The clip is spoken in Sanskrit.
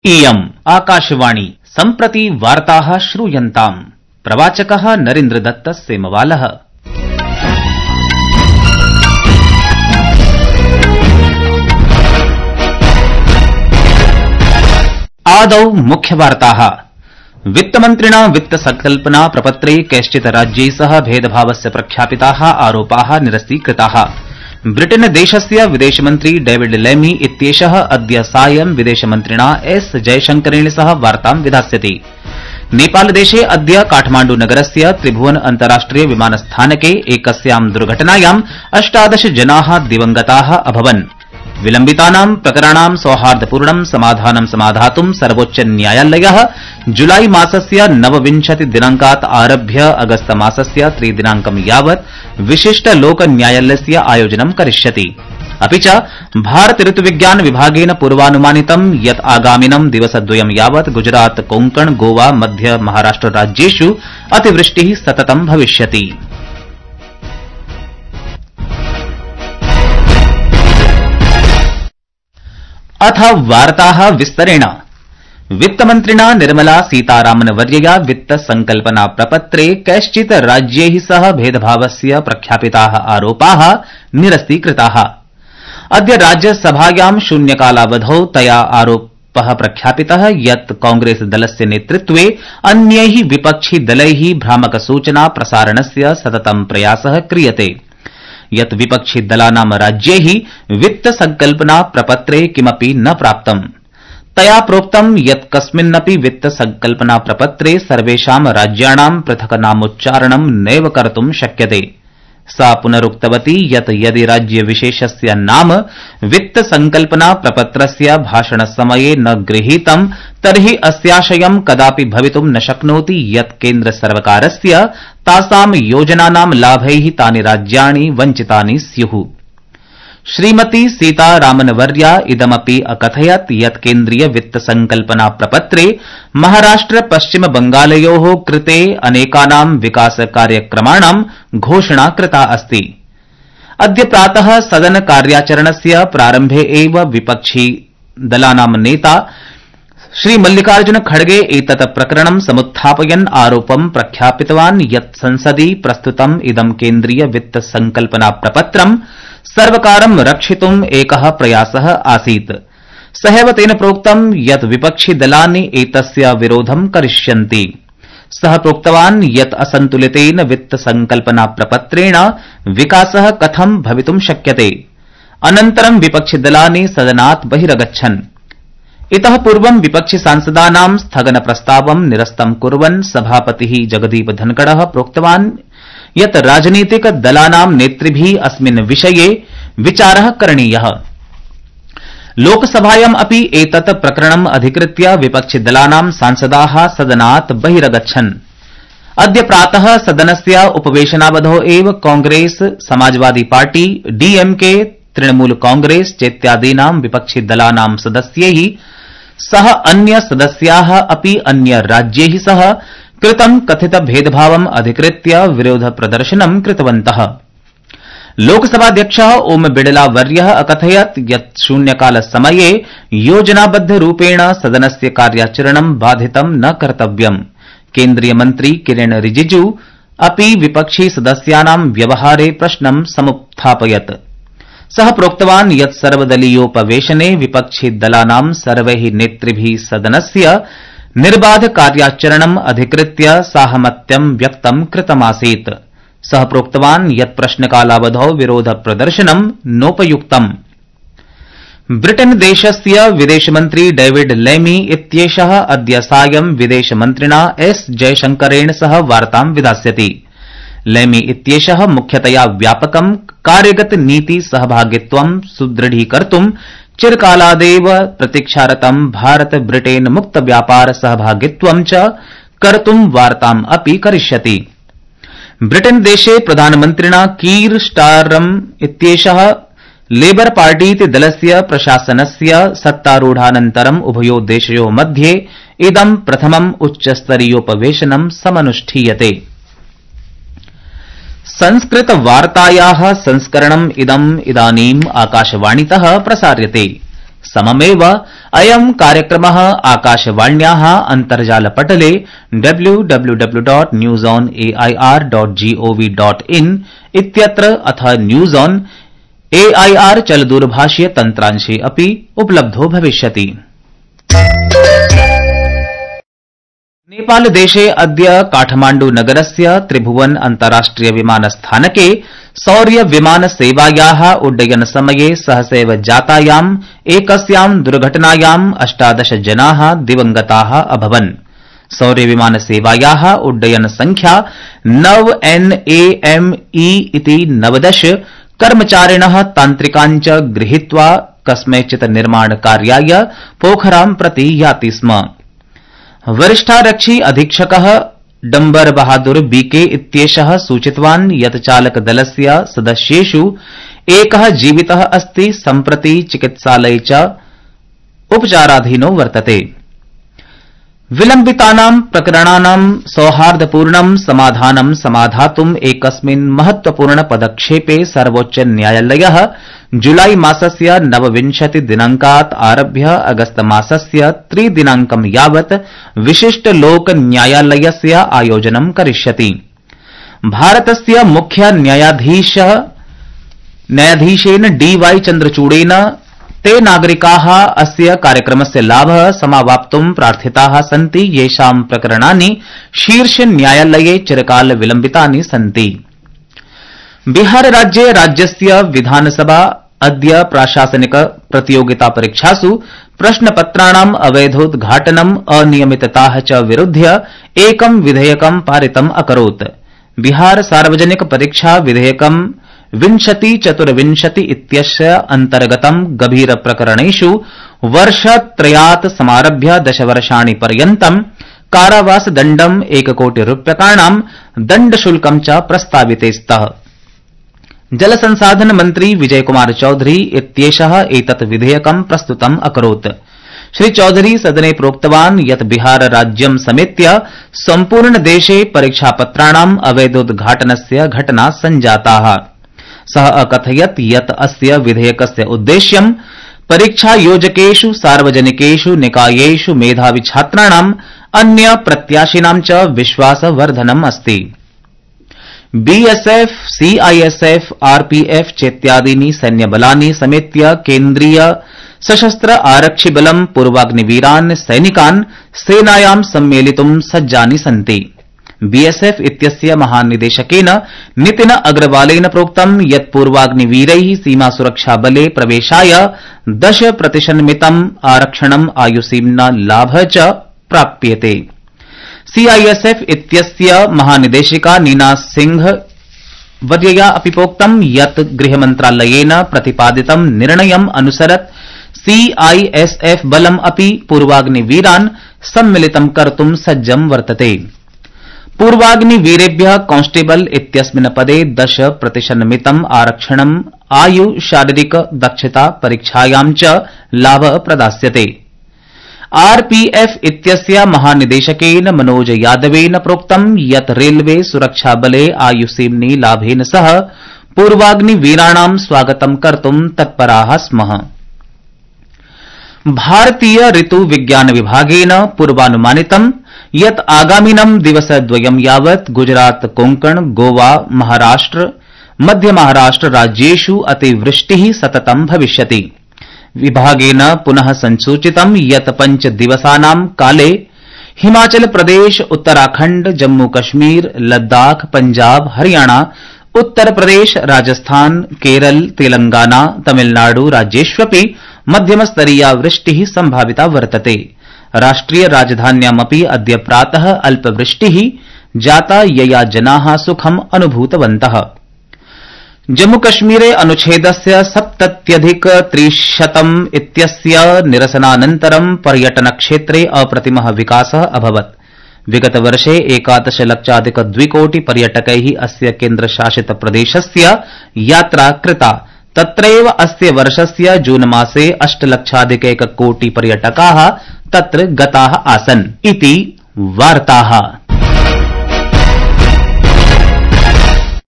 इयम् आकाशवाणी सम्प्रति वार्ताः श्रूयन्ताम्। प्रवाचकः नरेन्द्रदत्त सेमवालः। आदौ मुख्यवार्ताः। वित्तमन्त्रिणा वित्तसंकल्पना प्रपत्रे कैश्चित् राज्यै सह भेदभावस्य प्रख्यापिताः आरोपाः निरस्तीकृताः। ब्रिटेन देशस्य विदेशमन्त्री डेविड लेमी इत्येषः अद्य सायं विदेशमन्त्रिणा एस जयशंकरेण सह वार्तां विधास्यति। नेपालदेशे अद्य काठमाण्डु नगरस्य त्रिभुवन अन्ताराष्ट्रिय विमानस्थानके एकस्यां दुर्घटनायां 18 जनाः दिवंगताः अभवन्। विलम्बितानां प्रकरणानां सौहार्दपूर्णं समाधानं समाधातुं सर्वोच्च न्यायालयः जुलाई मासस्य 29 दिनांकात् आरभ्य अगस्त मासस्य 3 दिनांकं यावत् विशिष्ट लोक न्यायालयस्य आयोजनं करिष्यति। अपि च भारत ऋतुविज्ञान विभागेन पूर्वानुमानितं यत् आगामिनं दिवसद्वयं यावत् गुजरात कोंकण गोवा मध्य महाराष्ट्र राज्येषु अतिवृष्टिः सततं भविष्यति। अथ वार्ताः विस्तरेण। वित्तमन्त्रिणा निर्मला सीतारामनवर्यया वित्तसंकल्पना प्रपत्रे कैश्चित् राज्यैः सह भेदभावस्य प्रख्यापिताः आरोपाः निरस्तीकृताः। अद्य राज्यसभायां शून्यकालावधौ तया आरोपः प्रख्यापितः यत् कांग्रेस दलस्य नेतृत्वे अन्यैः विपक्षिदलैः भ्रामकसूचना प्रसारणस्य सततं प्रयासः क्रियते। यत् विपक्षिदलानां राज्यैः वित्तसंकल्पना प्रपत्रे किमपि न प्राप्तम्। तया प्रोक्तं यत् कस्मिन्नपि वित्तसंकल्पना प्रपत्रे सर्वेषां राज्याणां पृथक् नामोच्चारणं नैव कर्तुं शक्यते। सा पुनरुक्तवती यत् यदि राज्यविशेषस्य नाम वित्तसंकल्पना प्रपत्रस्य भाषणसमये न गृहीतं तर्हि अस्याशयं कदापि भवितुं न शक्नोति यत् केन्द्रसर्वकारस्य तासां योजनानां लाभैः तानि राज्याणि वञ्चितानि स्युः। श्रीमती सीतारामनवर्या इदमपि अकथयत् यत् केन्द्रीय वित्तसंकल्पना प्रपत्रे महाराष्ट्र पश्चिम बंगालयोः कृते अनेकानां विकासकार्यक्रमाणां घोषणा कृता अस्ति। अद्य प्रातः सदन कार्याचरणस्य प्रारम्भे एव विपक्षिदलानां नेता श्री मल्लिकार्जुन खड़गे एतत् प्रकरणं समुत्थापयन् आरोपं प्रख्यापितवान् यत् संसदि प्रस्तुतम् इदं केन्द्रीय वित्तसंकल्पना प्रपत्रं सर्वकारं रक्षितुम् एकः प्रयासः आसीत्। सहैव तेन प्रोक्तं यत् विपक्षिदलानि एतस्य विरोधं करिष्यन्ति। सः प्रोक्तवान् यत् असन्तुलितेन वित्तसंकल्पना प्रपत्रेण विकासः कथं भवितुं शक्यते। अनन्तरं विपक्षिदलानि सदनात् बहिरगच्छन्। इतः पूर्वं विपक्षिसांसदानां स्थगनप्रस्तावं निरस्तं कुर्वन् सभापतिः जगदीप धनखड़ः प्रोक्तवान् यत् राजनीतिकदलानां नेतृभिः अस्मिन् विषये विचारः करणीयः। लोकसभायाम् अपि एतत् प्रकरणम् अधिकृत्य विपक्षिदलानां सांसदाः सदनात् बहिरगच्छन्। अद्य प्रातः सदनस्य उपवेशनावधौ एव कांग्रेस समाजवादी पार्टी डीएमके तृणमूल कांग्रेस चेत्यादीनां विपक्षिदलानां सदस्यैः सह अन्य सदस्याः अपि अन्य राज्यैः सह कृतं कथित भेदभावम् अधिकृत्य विरोध प्रदर्शनं कृतवन्तः। लोकसभाध्यक्षः ओम बिड़ला वर्यः अकथयत् यत् शून्यकालसमये योजनाबद्धरूपेण सदनस्य कार्याचरणं बाधितं न कर्तव्यम्। केन्द्रीय मन्त्री किरेन रिजिजू अपि विपक्षी सदस्यानां व्यवहारे प्रश्नं समुत्थापयत्। सः प्रोक्तवान् यत् सर्वदलीयोपवेशने विपक्षिदलानां सर्वैः नेतृभिः सदनस्य निर्बाध कार्याचरणम् अधिकृत्य साहमत्यं व्यक्तं कृतमासीत्। सः प्रोक्तवान् यत् प्रश्नकालावधौ विरोध प्रदर्शनं नोपयुक्तम्। ब्रिटेन देशस्य विदेशमन्त्री डेविड लेमी इत्येषः अद्य सायं विदेशमन्त्रिणा एस जयशंकरेण सह वार्तां विधास्यति। लेमी इत्येषः मुख्यतया व्यापकं कार्यगत नीति सहभागित्वं सुदृढीकर्तुं चिरकालादेव प्रतीक्षारतं भारत ब्रिटेन मुक्त व्यापार सहभागित्वं च कर्तुं वार्ताम् अपि करिष्यति। ब्रिटेन देशे प्रधानमन्त्रिणा कीर स्टाररम् इत्येषः लेबर पार्टीति दलस्य प्रशासनस्य सत्तारूढानन्तरम् उभयोः देशयोः मध्ये इदं प्रथमम् उच्चस्तरीयोपवेशनं समनुष्ठीयते। संस्कृतवार्तायाः संस्करणम् इदम् इदानीम् आकाशवाणीतः प्रसार्यते। सममेव अयं कार्यक्रमः आकाशवाण्याः अन्तर्जालपटले www.newsonair.gov.in इत्यत्र अथ न्यूज ऑन AIR चलदूरभाषीय तन्त्रांशे अपि उपलब्धो भविष्यति। नेपालदेशे अद्य काठमाण्डु नगरस्य त्रिभुवन अन्ताराष्ट्रिय विमानस्थानके सौर्य विमान सेवायाः उड्डयन समये सहसैव जातायाम् एकस्यां दुर्घटनायां 18 जनाः दिवंगताः अभवन्। सौर्य विमान सेवायाः उड्डयन संख्या 9NAME इति 19 कर्मचारिणः तान्त्रिकान् च गृहीत्वा कस्मैचित् निर्माण कार्याय पोखरां प्रति याति स्म। वरिष्ठारक्षी अधीक्षकः डम्बर बहादुर बीके इत्येषः सूचितवान् यत् चालकदलस्य सदस्येषु एकः जीवितः अस्ति, सम्प्रति चिकित्सालये च उपचाराधीनो वर्तते। विलम्बितानां प्रकरणानां सौहार्दपूर्णं समाधानं समाधातुम् एकस्मिन् महत्वपूर्ण पदक्षेपे सर्वोच्च न्यायालयः जुलाई मासस्य 29 दिनाङ्कात् आरभ्य अगस्त मासस्य 3 दिनाङ्कं यावत् विशिष्ट लोक न्यायालयस्य आयोजनं करिष्यति। भारतस्य मुख्य न्यायाधीशेन DY चन्द्रचूडेन ते नागरिकाः अस्य कार्यक्रमस्य लाभः समावाप्तुं प्रार्थिताः सन्ति येषां प्रकरणानि शीर्ष न्यायालये चिरकाल विलम्बितानि सन्ति। बिहार राज्ये राज्यस्य विधानसभा अद्य प्राशासनिक प्रतियोगिता परीक्षासु प्रश्नपत्राणाम् अवैधोद्घाटनम् अनियमितताः च विरुध्य एकं विधेयकं पारितम् अकरोत्। बिहार सार्वजनिक परीक्षा विधेयकं 2024 इत्यस्य अन्तर्गतं गभीर प्रकरणेषु वर्षत्रयात् समारभ्य 10 वर्षाणि पर्यन्तं कारावासदण्डं 1 कोटि रूप्यकाणां दण्डशुल्कं च प्रस्ताविते स्तः। जलसंसाधन मन्त्री विजयकुमार चौधरी इत्येषः एतत् विधेयकं प्रस्तुतम् अकरोत्। श्री चौधरी सदने प्रोक्तवान् यत् बिहार राज्यं समेत्य सम्पूर्ण देशे परीक्षापत्राणाम् अवैधोद्घाटनस्य घटना सञ्जाताः। सः अकथयत् यत् अस्य विधेयकस्य उद्देश्यं परीक्षायोजकेषु सार्वजनिकेषु निकायेषु मेधावि छात्राणाम् अन्य प्रत्याशिनां च विश्वासवर्धनम् अस्ति। BSF, CISF, RPF चेत्यादीनि सैन्यबलानि समेत्य केन्द्रीय सशस्त्र आरक्षिबलं पूर्वाग्निवीरान् सैनिकान् सेनायां सम्मेलितुं सज्जानि सन्ति। BSF इत्यस्य महानिदेशकेन नितिन अग्रवालेन प्रोक्तं यत् पूर्वाग्निवीरैः सीमासुरक्षाबले प्रवेशाय 10% मितम् आरक्षणम् आयुसीम्ना लाभः च प्राप्यते। CISF इत्यस्य महानिदेशिका नीना सिंह वर्यया अपि प्रोक्तं यत् गृहमन्त्रालयेन प्रतिपादितं निर्णयम् अनुसरत् CISF बलम् अपि पूर्वाग्निवीरान् सम्मिलितं कर्तुं सज्जं वर्तते। पूर्वाग्निवीरेभ्यः कांस्टेबल इत्यस्मिन् पदे 10% मितम् आरक्षणम् आयु शारीरिक दक्षता परीक्षायां च लाभः प्रदास्यते। RPF इत्यस्य महानिदेशकेन मनोज यादवेन प्रोक्तं यत् रेलवे सुरक्षाबले आयुसीम्नि लाभेन सह पूर्वाग्निवीराणां स्वागतं कर्तुं तत्पराः स्मः। भारतीय ऋतु विज्ञान विभागेन पूर्वानुमानितं यत् आगामिनं दिवसद्वयं यावत् गुजरात, कोंकण, गोवा, महाराष्ट्र, मध्य महाराष्ट्र राज्येषु अतिवृष्टिः सततं भविष्यति। विभागेन पुनः संसूचितं यत् 5 दिवसानां काले हिमाचल प्रदेश, उत्तराखण्ड, जम्मू कश्मीर, लद्दाख, पंजाब, हरियाणा, उत्तर प्रदेश, राजस्थान, केरल, तेलंगाना, तमिलनाडु राज्येष्वपि मध्यमस्तरीया वृष्टिः संभाविता वर्तते। राष्ट्रिय राजधान्यामपि अद्य प्रातः अल्पवृष्टिः जाता यया जनाः सुखम् अनुभूतवन्तः। जम्मूकश्मीरे अनुच्छेदस्य 70+300 इत्यस्य निरसनानन्तरं पर्यटनक्षेत्रे अप्रतिमः विकासः अभवत्। विगतवर्षे 11 लक्षाधिक-2 पर्यटकैः अस्य केन्द्रशासित प्रदेशस्य यात्रा कृता। तत्रैव अस्य वर्षस्य जून मासे 8 लक्षाधिक-1 कोटि पर्यटकाः तत्र गताः आसन् इति वार्ताः।